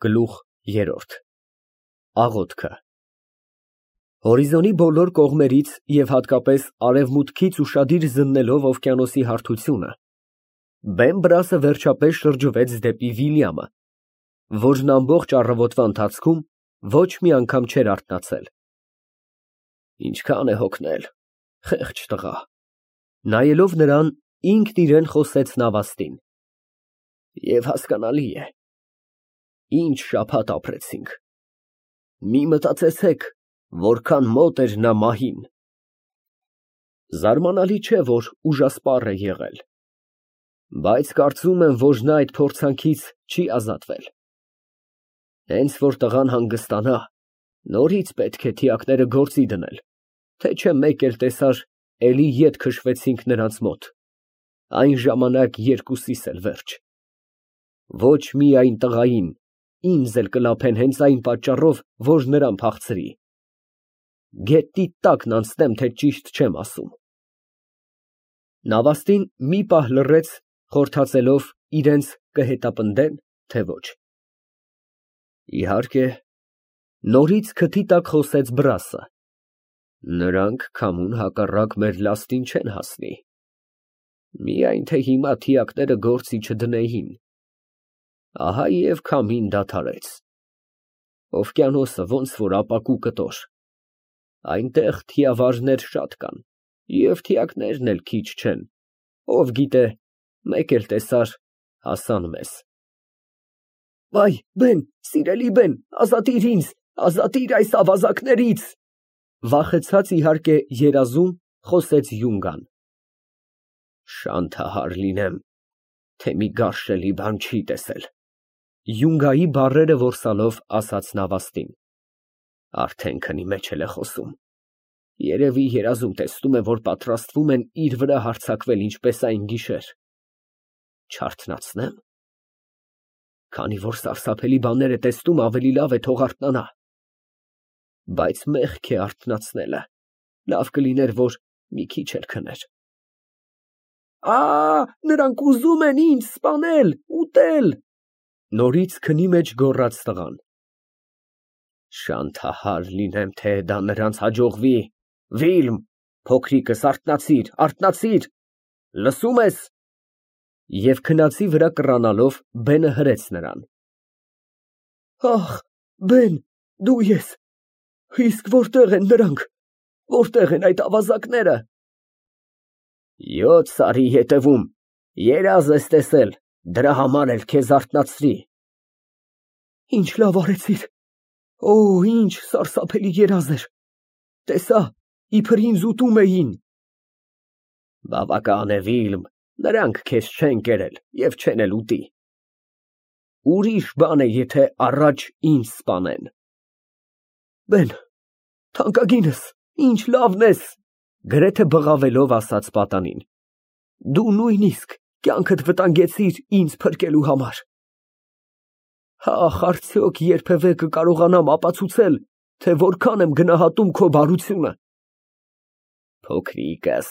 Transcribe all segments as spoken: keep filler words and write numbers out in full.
Գլուխ երրորդ ԱՂՈԹՔԸ Հորիզոնի բոլոր կողմերից և հատկապես արևմուտքից ուշադիր զննելով օվկիանոսի հարթությունը, բեմ֊բրասը վերջապես շրջվեց դեպի Վիլյամը, որն ամբողջ առավոտվա ընթացքում ոչ մի անգամ չէր արթնացել։ Ինչքան է հոգնել, խեղճ տղա։ Նայելով նրան, ինքն իրան խոսեց Նավաստին. Եվ հասկանալի է, ինչ շաբաթ ապրեցինք, մի մտածեցեք, որքան մոտ էր նա մահին։ Զարմանալի չէ, որ ուժասպառ է եղել, բայց կարծում եմ, որ նա այդ փորձանքից չի ազատվել։ Հենց որ տղան հանգստանա, նորից պետք է թիակները գործի դնել, թե չէ մեկ էլ տեսար, էլի ետ քշվեցինք նրանց մոտ, այն ժամանակ երկուսիս էլ վերջ։ Ոչ միայն տղային, ինձ էլ կլափեն հենց այն պատճառով, որ նրան փախցրի։ Գետնի տակն անցնեմ, թե ճիշտ չեմ ասում։ Նավաստին մի պահ լռեց, խորհրդածելով իրենց կհետապնդեն, թե ոչ։ Իհարկե, նորից քթի տակ խոսեց Բրասը, նրանք քամուն հակառակ մեր լաստին չեն հասնի, միայն թե հիմա թիակները գործի չդնեին, ահա և քամին դադարեց, օվկիանոսը ոնց որ ապակու կտոր, այնտեղ թիավարներ շատ կան, և թիակներն էլ քիչ չեն, ով գիտե, մեկ էլ տեսար, հասան մեզ։ Վայ, բեն, սիրելի բեն, ազատիր ինձ, ազատիր այս ավազակներից, վախեցած իհարկե երազում խոսեց Յունգան։ Շանթահար լինեմ, թե մի գարշելի բան չի տեսել, Յունգայի բառերը որսալով ասաց Նավաստին, արդեն քնի մեջ էլ է խոսում, երևի երազում տեսնում է, որ պատրաստվում են իր վրա հարձակվել ինչպես այն գիշեր, չարթնացնե՞մ, քանի որ սարսափելի բաներ է տեսնում, ավելի լավ է թող արթնանա, բայց մեղք է արթնացնելը, լավ կլիներ, որ մի քիչ էլ քներ։ Ա, նրանք ուզում են ինձ սպանել, ուտել, նորից քնի մեջ գոռաց տղան։ Շանթահար լինեմ, թե դա նրանց հաջողվի, Վիլմ, փոքրիկս, արթնացիր, արթնացիր, լսում ես։ Եվ քնածի վրա կռանալով բենը հրեց նրան։ Ախ, բեն, դու ես, իսկ որտեղ են նրանք, որտեղ են այդ ավազակները։ Յոթ սարի ետևում, երազ ես տեսել, դրա համար էլ քեզ արթնացրի։ Ինչ լավ արեցիր, օ, ինչ սարսափելի երազ էր, տեսա, իբր ինձ ուտում էին։ Բավական է, Վիլմ, նրանք քեզ չեն կերել և չեն էլ ուտի։ Ուրիշ բան է, եթե առաջ ինձ սպանեն։ Բեն, թանկագինս, ինչ լավն ես, գրեթե բղավելով ասաց պատանին, դու նույնիսկ կյանքդ վտանգեցիր ինձ փրկելու համար։ Ախ, արդյոք երբևէ կկարողանամ ապացուցել, թե որքան եմ գնահատում քո բարությունը։ Փոքրիկս,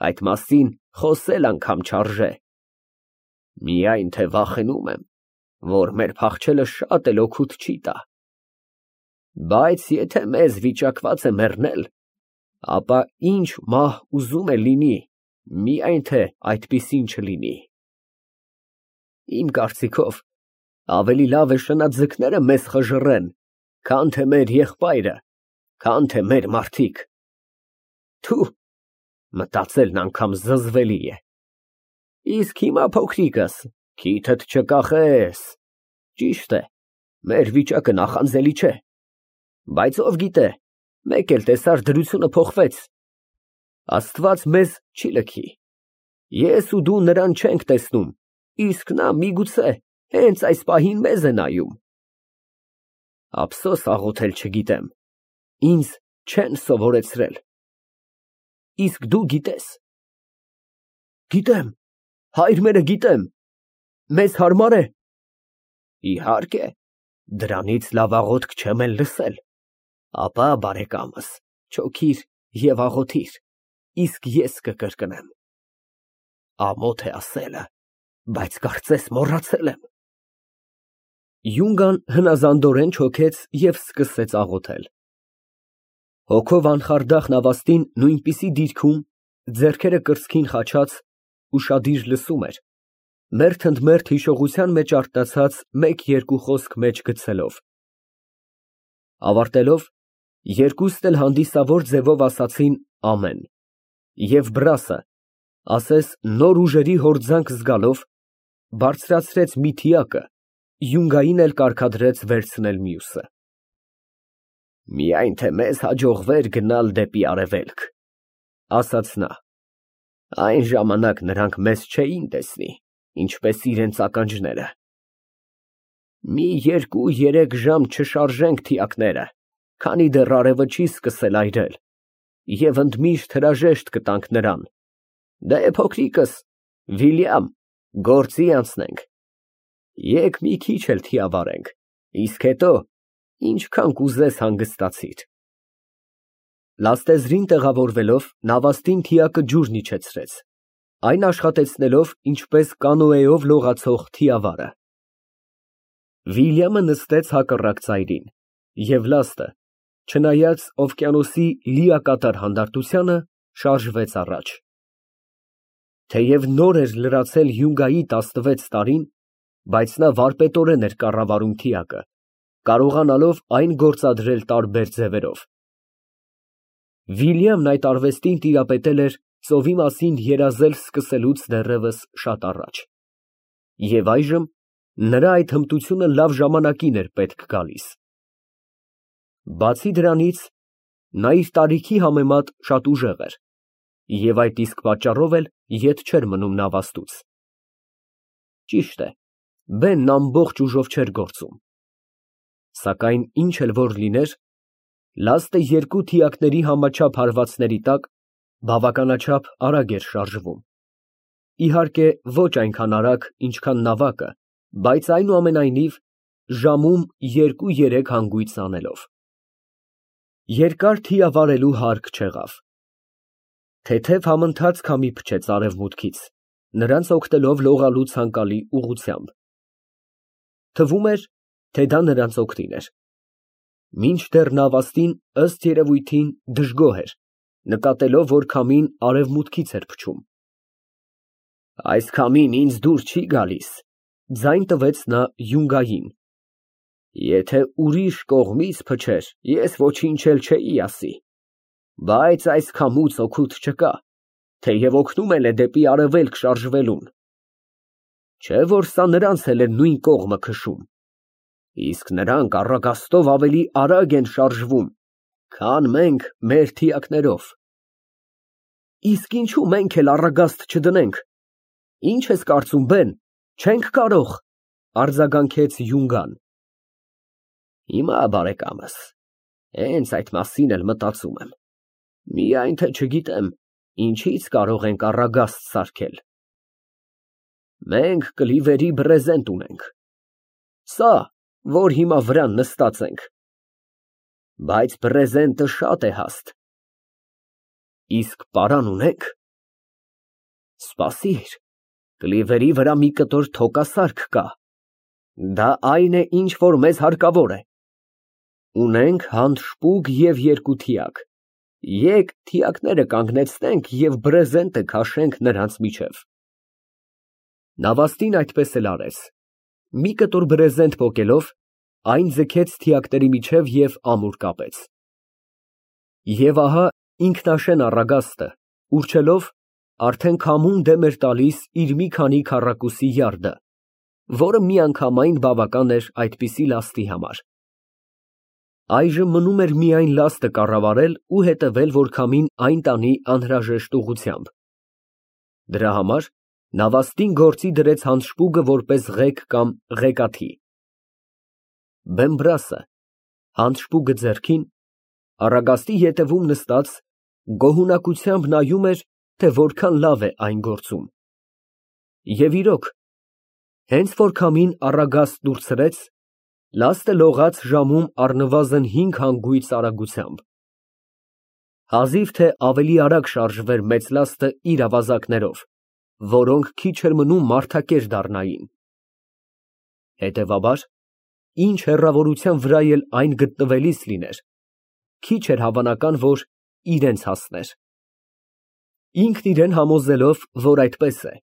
այդ մասին խոսել անգամ չարժե, միայն թե վախենում եմ, որ մեր փախչելը շատ էլ օգուտ չի տա, բայց եթե մեզ վիճակված է մեռնել, ապա ինչ մահ ուզում է լինի, միայն թե այդպիսին չլինի։ Իմ կարծիքով, ավելի լավ է շնաձկները մեզ խժռեն, քան թե մեր եղբայրը, քան թե մեր մարդիկ։ Թու, մտածելն անգամ զզվելի է։ Իսկ հիմա, փոքրիկս, քիթդ չկախես, ճիշտ է, մեր վիճակը նախանձելի չէ, բայց ով գիտե, մեկ էլ տեսար դրությունը փոխվեց, Աստված մեզ չի լքի, ես ու դու նրան չենք տեսնում, իսկ նա միգուցե հենց այս պահին մեզ է նայում։ Ափսոս աղոթել չգիտեմ, ինձ չեն սովորեցրել։ Իսկ դու գիտես։ Գիտեմ, հայր մերը գիտեմ, մեզ հարմար է։ Իհարկե, դրանից լավ աղոթք չեմ էլ լսել, ապա բարեկամս, չոքիր և աղոթիր, իսկ ես կկրկնեմ։ Ամոթ է ասելը, բայց կարծես մոռացել եմ։ Յունգան հնազանդորեն չոքեց և սկսեց աղոթել։ Հոգով անխարդախ նավաստին նույնպիսի դիրքում, ձեռքերը կրծքին խաչած, ուշադիր լսում էր, մերթ ընդ մերթ հիշողության մեջ արթնացած մեկ֊երկու խոսք մեջ գցելով։ Ավարտելով, երկուստ էլ հանդիսավոր ձևով ասացին ամեն, և բռասը, ասես նոր ուժերի հորձանք զգալով, բարձրացրեց մի թիակը, յունգային էլ կարգադրեց վերցնել մյուսը։ Միայն թե մեզ հաջողվեր գնալ դեպի արևելք, ասաց նա, այն ժամանակ նրանք մեզ չէին տեսնի, ինչպես իրենց ականջները։ Մի երկու֊երեք ժամ չշարժենք թիակները, քանի դեռ արևը չի սկսել այրել, և ընդմիշտ հրաժեշտ կտանք նրան. «Դե, փոքրիկս, Վիլյամ, գործի անցնենք, եկ մի քիչ էլ թիավարենք, իսկ հետո ինչքան կուզես հանգստացիր»։ Լաստեզրին տեղավորվելով, նավաստին թիակը ջուրն իջեցրեց, այն աշխատեցնելով ինչպես կանոեով լողացող թիավարը։ Վիլյամը նստեց հակառակ ծայրին, և լաստը, չնայած օվկիանոսի լիակատար հանդարտությանը, շարժվեց առաջ։ Թեև նոր էր լրացել յունգայի տասնվեց տարին, բայց նա վարպետորեն էր կառավարում թիակը, կարողանալով այն գործադրել տարբեր ձևերով։ Վիլյամն այդ արվեստին տիրապետել էր ծովի մասին երազել սկսելուց դեռևս շատ առաջ, և այժմ նրա այդ հմտությունը լավ ժամանակին էր պետք գալիս։ Բացի դրանից, նա իր տարիքի համեմատ շատ ուժեղ էր, և այդ իսկ պատճառով էլ ետ չէր մնում նավաստուց։ Ճիշտ է, բենն ամբողջ ուժով չէր գործում, սակայն ինչ էլ որ լիներ, լաստը երկու թիակների համաչափ հարվածների տակ բավականաչափ արագ էր շարժվում, իհարկե ոչ այնքան արագ, ինչքան նավակը, բայց այնուամենայնիվ ժամում երկու֊երեք հանգույց անելով։ Երկար թիավարելու հարկ չեղավ։ Թեթև համընթաց քամի փչեց արևմուտքից, նրանց օգնելով լողալու ցանկալի ուղղությամբ։ Թվում էր, թե դա նրանց օգտին էր։ Մինչդեռ նավաստին, ըստ երևույթին, դժգոհ էր, նկատելով, որ քամին արևմուտքից էր փչում։ Այս քամին ինձ դուր չի գալիս, ձայն տվեց նա յունգային։ Եթե ուրիշ կողմից փչեր, ես ոչինչ էլ չէի ասի, բայց այս քամուց օգուտ չկա, թեև օգնում էլ է դեպի արևելք շարժվելուն։ Չէ՞ որ սա նրանց էլ է նույն կողմը քշում, իսկ նրանք առագաստով ավելի արագ են շարժվում, քան մենք մեր թիակներով։ Իսկ ինչո՞ւ մենք էլ առագաստ չդնենք, ի՞նչ ես կարծում, բեն, չենք կարող, արձագանքեց յունգան։ Հիմա, բարեկամս, հենց այդ մասին էլ մտածում եմ, միայն թե չգիտեմ, ինչից կարող ենք առագաստ սարքել։ Մենք կլիվերի բրեզենտ ունենք, սա, որ հիմա վրան նստած ենք, բայց բրեզենտը շատ է հաստ։ Իսկ պարան ունե՞ք։ Սպասիր, կլիվերի վրա մի կտոր թոկասարք կա, դա այն է, ինչ որ մեզ հարկավոր է։ Ունենք հանդ շպուկ և երկու թիակ, եկ թիակները կանգնեցնենք և բրեզենտը քաշենք նրանց միջև։ Նավաստին այդպես էլ արեց, մի կտոր բրեզենտ պոկելով, այն ձգեց թիակների միջև և ամուր կապեց։ Եվ ահա ինքնաշեն առագաստը, ուռչելով, արդեն քամուն դեմ էր տալիս իր մի քանի քառակուսի յարդը, որը միանգամայն բավական էր այդպիսի լաստի համար։ Այժմ մնում էր միայն լաստը կառավարել ու հետևել, որ քամին այն տանի անհրաժեշտ ուղղությամբ։ Դրա համար նավաստին գործի դրեց հանշպուգը որպես ղեկ կամ ղեկաթի։ Բեմբրասը, հանշպուգը ձեռքին, առագաստի ետևում նստած, գոհունակությամբ նայում էր, թե որքան լավ է այն գործում։ Եվ իրոք, հենց որ քամին առագաստ դուրցրեց, լաստը լողաց ժամում առնվազն հինգ հանգույց արագությամբ։ Հազիվ թե ավելի արագ շարժվեր մեծ լաստը իր ավազակներով, որոնք քիչ էր մնում մարդակեր դառնային։ Հետևաբար, ինչ հեռավորության վրա էլ այն գտնվելիս լիներ, քիչ էր հավանական, որ իրենց հասներ։ Ինքն իրան համոզելով, որ այդպես է,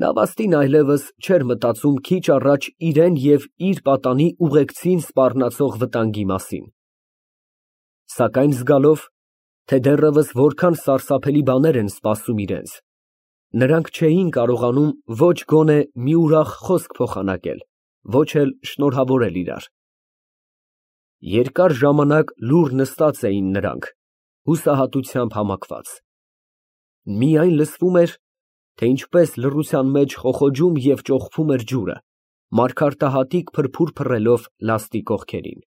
նավաստին այլևս չէր մտածում քիչ առաջ իրան և իր պատանի ուղեկցին սպառնացող վտանգի մասին, սակայն զգալով, թե դեռևս որքան սարսափելի բաներ են սպասում իրենց, նրանք չէին կարողանում ոչ գոնե մի ուրախ խոսք փոխանակել, ոչ էլ շնորհավորել իրար։ Երկար ժամանակ լուռ նստած էին նրանք, հուսահատությամբ համակված, միայն լսվում էր, թե ինչպես լռության մեջ խոխոջում և ճոխփում էր ջուրը, մարգարտահատիկ փրփուր փռելով լաստի կողքերին։